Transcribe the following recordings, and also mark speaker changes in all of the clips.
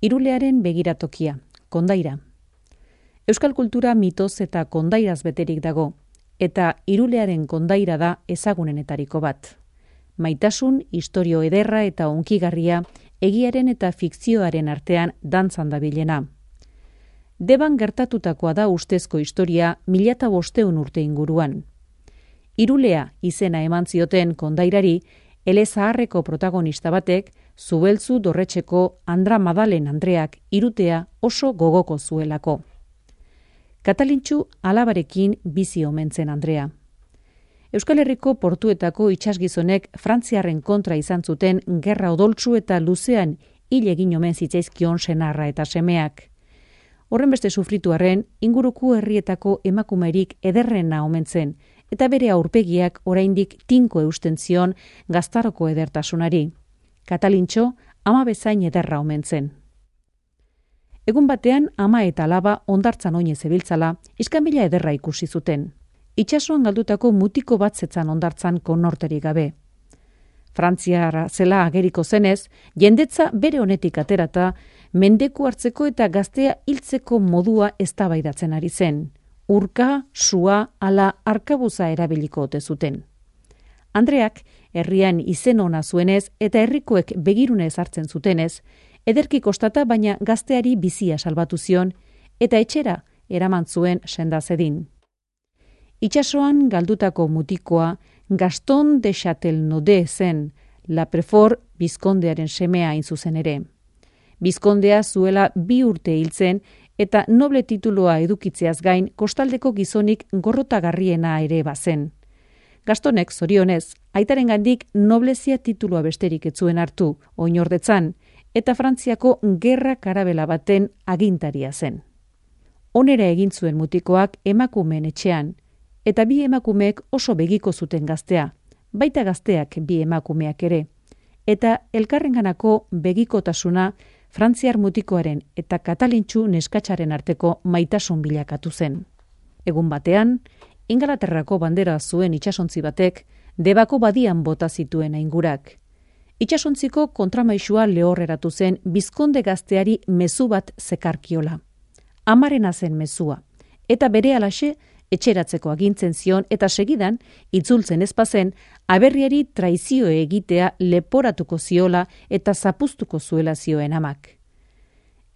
Speaker 1: Irulearen begiratokia, kondaira. Euskal kultura mitoz eta kondairaz beterik dago, eta Irulearen kondaira da ezagunenetariko bat. Maitasun, istorio ederra eta hunkigarria, egiaren eta fikzioaren artean dantzan dabilena. Deban gertatutakoa da ustezko historia 1500 urte inguruan. Irulea izena eman zioten kondairari, elezaharreko protagonista batek, Zubeltzu Dorretxeko Andra Madalen Andreak irutea oso gogoko zuelako. Katalintxu alabarekin bizi omen zen Andrea. Euskal Herriko portuetako itsasgizonek Frantziarren kontra izan zuten gerra odoltsu eta luzean hil egin omen zitzaizkion senarra eta semeak. Horren beste sufrituarren, inguruko herrietako emakumerik ederrena omen zen, eta bere aurpegiak oraindik tinko eusten zion gaztaroko edertasunari. Katalintxo ama bezain ederra omen zen. Egun batean ama eta alaba hondartzan oine zebiltzala, iskanbila ederra ikusi zuten. Itsasoan galdutako mutiko bat zetzan hondartzan konorterik gabe. Frantziara zela ageriko zenez, jendetza bere honetik aterata, mendeku hartzeko eta gaztea hiltzeko modua eztabaidatzen ari zen. Urka, sua, ala arkabuza erabiliko ote zuten. Andreak, herrian izen ona zuenez eta herrikoek begirunez hartzen zutenez, ederki kostata baina gazteari bizia salbatu zion eta etxera eraman zuen sendazedin. Itsasoan galdutako mutikoa Gaston de Châtelnaudet zen, La Préfort bizkondearen semea hain zuzen ere. Bizkondea zuela 2 urte hiltzen eta noble tituloa edukitzeaz gain kostaldeko gizonik gorrotagarriena ere bazen. Gastonek, zorionez, aitarengandik noblezia titulua besterik ez zuen hartu, oinordetzan, eta Frantziako gerra karabela baten agintaria zen. Onera egin zuen mutikoak emakumeen etxean, eta 2 emakumeek oso begiko zuten gaztea, baita gazteak 2 emakumeak ere, eta elkarrenganako begikotasuna Frantziar mutikoaren eta Katalintxu neskatxaren arteko maitasun bilakatu zen. Egun batean, Ingalaterrako bandera zuen itsasontzi batek Debako badian bota zituen aingurak. Itsasontziko kontramaisua lehorreratu zen bizkonde gazteari mezu bat zekarkiola. Amarena zen mezua, eta berehalaxe etxeratzeko agintzen zion eta segidan, itzultzen ezpazen, aberriari traizio egitea leporatuko ziola eta zapuztuko zuela zioen amak.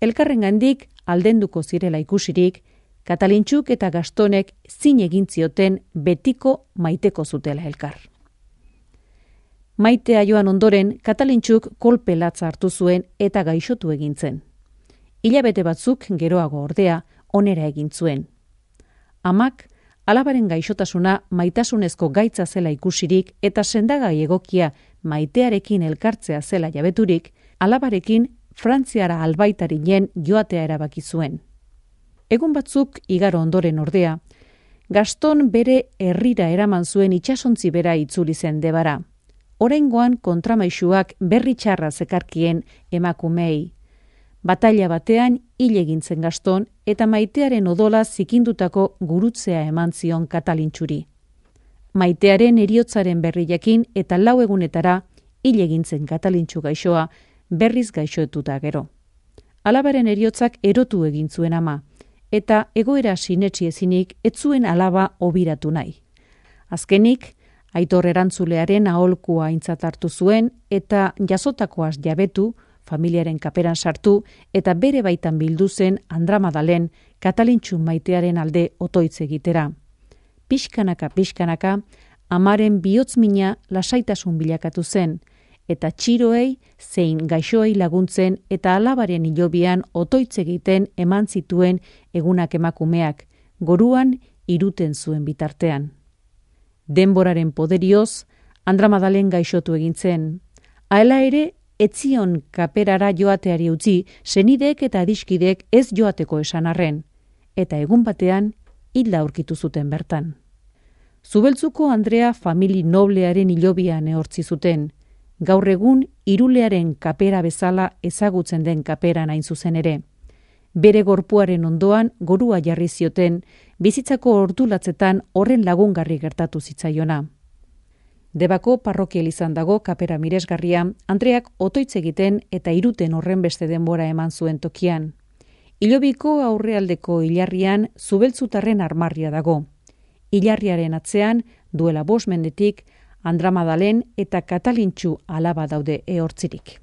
Speaker 1: Elkarrengandik aldenduko zirela ikusirik, Katalintxuk eta Gastonek zin egin zioten betiko maiteko zutela elkar. Maitea joan ondoren, Katalintxuk kolpe latza hartu zuen eta gaixotu egin zen. Hilabete batzuk geroago ordea onera egin zuen. Amak, alabaren gaixotasuna maitasunezko gaitza zela ikusirik eta sendagai egokia maitearekin elkartzea zela jabeturik, alabarekin Frantziara albaitarinen joatea erabaki zuen. Egun batzuk igaro ondoren ordea, Gaston bere herrira eraman zuen itsasontzi bera itzuli zen Debara. Oraingoan kontramaisuak berri txarra zekarkien emakumei. Bataila batean hil egin zen Gaston eta maitearen odola zikindutako gurutzea eman zion Katalintxuri. Maitearen heriotzaren berri jakin eta 4 egunetara hil egin zen Katalintxu gaixoa berriz gaixoetuta gero. Alabaren heriotzak erotu egin zuen ama, eta egoera sinetsi ezinik ez zuen alaba obiratu nahi. Azkenik, Aitor erantzulearen aholkua aintzat hartu zuen eta jasotakoaz jabetu, familiaren kaperan sartu eta bere baitan bildu zen Andra Madalen Katalintxu maitearen alde otoitz egitera. Pixkanaka, amaren bihotzmina lasaitasun bilakatu zen, eta txiroei zein gaixoei laguntzen eta alabaren hilobian otoitz egiten eman zituen egunak emakumeak, goruan iruten zuen bitartean. Denboraren poderioz, Andra Madalen gaixotu egin zen. Hala ere, etzion kaperara joateari utzi, senideek eta adiskidek ez joateko esan arren, eta egun batean hilda aurkitu zuten bertan. Zubeltzuko Andrea famili noblearen hilobian ehortzi zuten, gaur egun Irulearen kapera bezala ezagutzen den kaperan hain zuzen ere. Bere gorpuaren ondoan gorua jarri zioten, bizitzako ordulatzetan horren lagungarri gertatu zitzaiona. Debako parrokial izan dago kapera miresgarria, Andreak otoitz egiten eta iruten horren beste denbora eman zuen tokian. Ilobiko aurrealdeko hilarrian zubeltzutarren armarria dago. Hilarriaren atzean, duela 5 mendetik, Andra Madalen eta Katalintxu alaba daude ehortzirik.